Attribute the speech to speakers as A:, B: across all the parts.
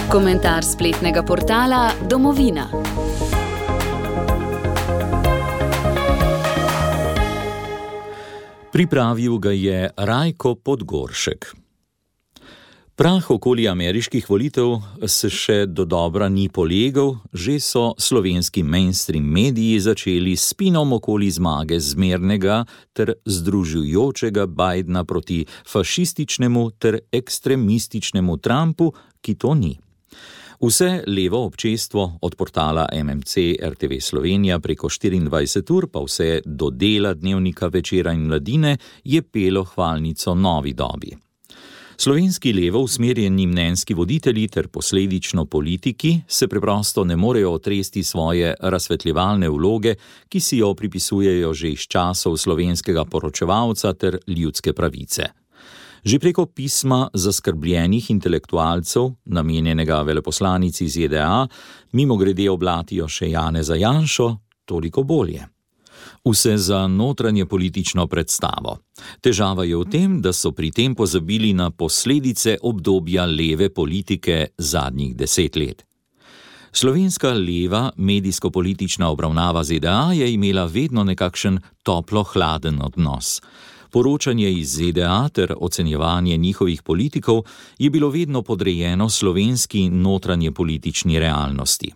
A: Komentar spletnega portala Domovina.
B: Pripravil ga je Rajko Podgoršek. Prah okoli ameriških volitev se še dodobra ni polegel, že so slovenski mainstream mediji začeli s spinom okoli zmage zmernega ter združujočega Bidena proti fašističnemu ter ekstremističnemu Trumpu, ki to ni. Vse levo občestvo, od portala MMC, RTV Slovenija preko 24 ur pa vse do dela dnevnika Večera in Mladine, je pelo hvalnico novi dobi. Slovenski levo usmerjeni mnenjski voditelji ter posledično politiki se preprosto ne morejo otresti svoje razsvetljevalne vloge, ki si jo pripisujejo že iz časov slovenskega poročevalca ter ljudske pravice. Že preko pisma zaskrbljenih intelektualcev, namenjenega veleposlanici ZDA, mimogrede oblatijo še Janeza Janšo, toliko bolje. Vse za notranje politično predstavo. Težava je v tem, da so pri tem pozabili na posledice obdobja leve politike zadnjih 10 let. Slovenska leva medijsko-politična obravnava ZDA je imela vedno nekakšen toplo-hladen odnos. Poročanje iz ZDA ter ocenjevanje njihovih politikov je bilo vedno podrejeno slovenski notranje politični realnosti.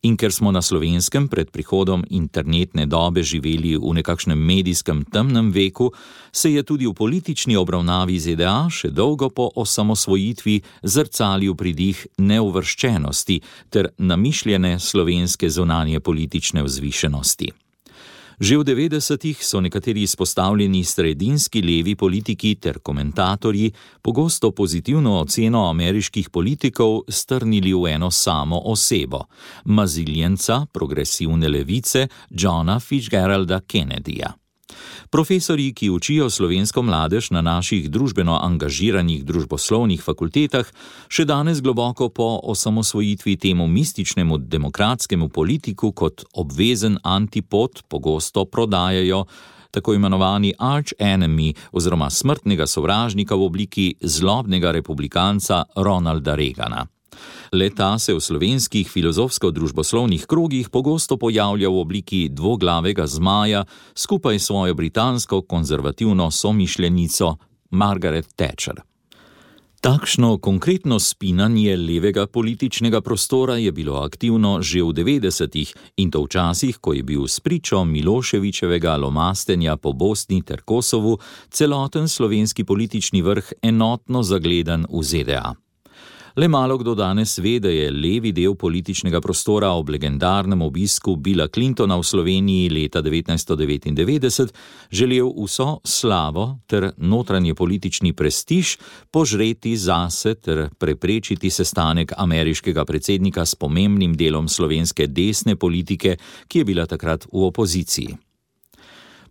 B: In ker smo na Slovenskem pred prihodom internetne dobe živeli v nekakšnem medijskem temnem veku, se je tudi v politični obravnavi ZDA še dolgo po osamosvojitvi zrcalil pridih neuvrščenosti ter namišljene slovenske zunanje politične vzvišenosti. Že v 90-ih so nekateri izpostavljeni sredinski levi politiki ter komentatorji pogosto pozitivno oceno ameriških politikov strnili v eno samo osebo, maziljenca progresivne levice Johna Fitzgeralda Kennedyja. Profesorji, ki učijo slovensko mladež na naših družbeno angažiranih družboslovnih fakultetah, še danes globoko po osamosvojitvi temu mističnemu demokratskemu politiku kot obvezen antipod pogosto prodajajo tako imenovani arch enemy oziroma smrtnega sovražnika v obliki zlobnega republikanca Ronalda Reagana. Le-ta se v slovenskih filozofsko-družboslovnih krogih pogosto pojavlja v obliki dvoglavega zmaja skupaj s svojo britansko konzervativno somišljenico Margaret Thatcher. Takšno konkretno spinanje levega političnega prostora je bilo aktivno že v 90-ih in to v časih, ko je bil spričo Miloševićevega lomastenja po Bosni ter Kosovu celoten slovenski politični vrh enotno zagledan v ZDA. Le malo kdo danes ve, da je levi del političnega prostora ob legendarnem obisku Billa Clintona v Sloveniji leta 1999 želel vso slavo ter notranje politični prestiž požreti zase ter preprečiti sestanek ameriškega predsednika s pomembnim delom slovenske desne politike, ki je bila takrat v opoziciji.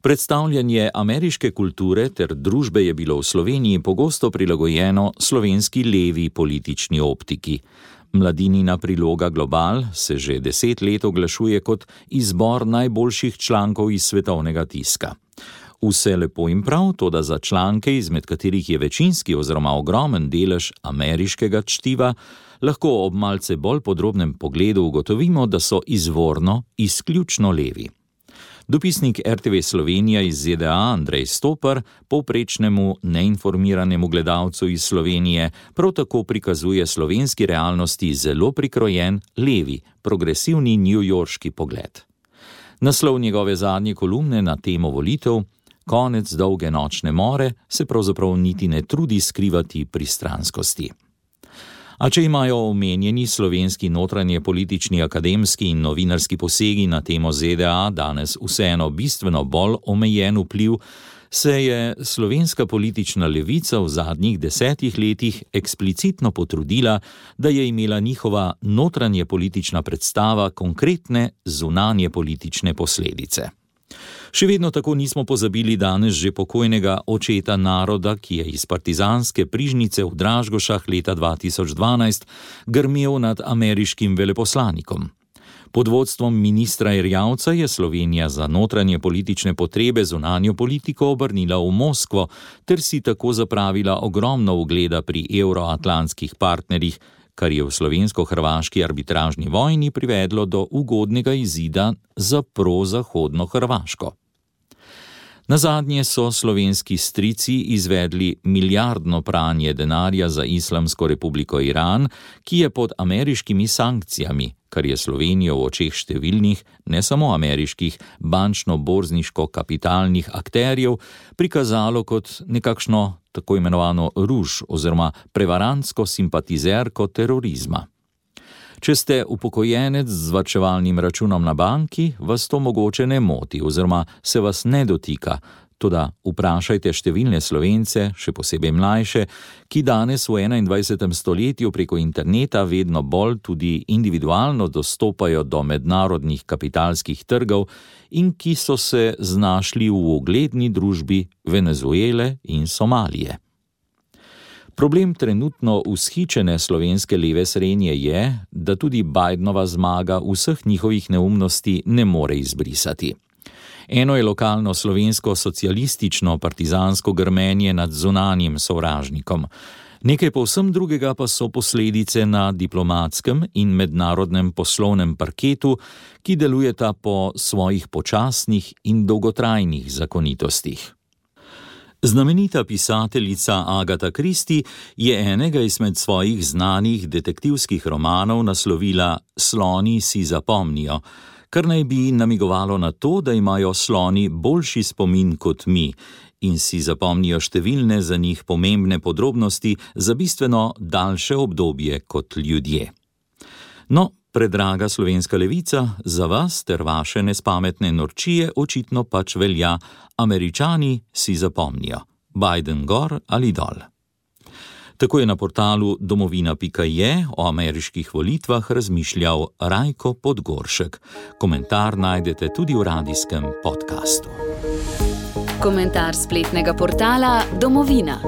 B: Predstavljanje ameriške kulture ter družbe je bilo v Sloveniji pogosto prilagojeno slovenski levi politični optiki. Mladinina priloga Global se že 10 let oglašuje kot izbor najboljših člankov iz svetovnega tiska. Vse lepo in prav, toda za članke, izmed katerih je večinski oziroma ogromen delež ameriškega čtiva, lahko ob malce bolj podrobnem pogledu ugotovimo, da so izvorno izključno levi. Dopisnik RTV Slovenija iz ZDA Andrej Stopar povprečnemu neinformiranemu gledalcu iz Slovenije prav tako prikazuje slovenski realnosti zelo prikrojen levi, progresivni newyorški pogled. Naslov njegove zadnje kolumne na temo volitev, Konec dolge nočne more, se pravzaprav niti ne trudi skrivati pristranskosti. A če imajo omenjeni slovenski notranje politični akademski in novinarski posegi na temo ZDA danes vseeno bistveno bolj omejen vpliv, se je slovenska politična levica v zadnjih 10 letih eksplicitno potrudila, da je imela njihova notranje politična predstava konkretne zunanje politične posledice. Še vedno tako nismo pozabili danes že pokojnega očeta naroda, ki je iz partizanske prižnice v Dražgošah leta 2012 grmel nad ameriškim veleposlanikom. Pod vodstvom ministra Erjavca je Slovenija za notranje politične potrebe zunanjo politiko obrnila v Moskvo ter si tako zapravila ogromno ugleda pri evroatlantskih partnerjih, kar je v slovensko-hrvaški arbitražni vojni privedlo do ugodnega izida za prozahodno Hrvaško. Nazadnje so slovenski strici izvedli milijardno pranje denarja za Islamsko republiko Iran, ki je pod ameriškimi sankcijami, kar je Slovenijo v očeh številnih, ne samo ameriških, bančno-borzniško-kapitalnih akterjev prikazalo kot nekakšno tako imenovano ruž oziroma prevarantsko simpatizerko terorizma. Če ste upokojenec z varčevalnim računom na banki, vas to mogoče ne moti oziroma se vas ne dotika, toda vprašajte številne Slovence, še posebej mlajše, ki danes v 21. stoletju preko interneta vedno bolj tudi individualno dostopajo do mednarodnih kapitalskih trgov in ki so se znašli v ugledni družbi Venezuele in Somalije. Problem trenutno vzhičene slovenske leve srednje je, da tudi Bidenova zmaga vseh njihovih neumnosti ne more izbrisati. Eno je lokalno slovensko socialistično partizansko grmenje nad zunanjim sovražnikom. Nekaj povsem drugega pa so posledice na diplomatskem in mednarodnem poslovnem parketu, ki delujeta po svojih počasnih in dolgotrajnih zakonitostih. Znamenita pisateljica Agatha Christie je enega izmed svojih znanih detektivskih romanov naslovila Sloni si zapomnijo, kar naj bi namigovalo na to, da imajo sloni boljši spomin kot mi in si zapomnijo številne za njih pomembne podrobnosti za bistveno daljše obdobje kot ljudje. No, predraga slovenska levica, za vas ter vaše nespametne norčije očitno pač velja: Američani si zapomnijo. Biden gor ali dol. Tako je na portalu domovina.je o ameriških volitvah razmišljal Rajko Podgoršek. Komentar najdete tudi v radijskem podkastu.
A: Komentar spletnega portala Domovina.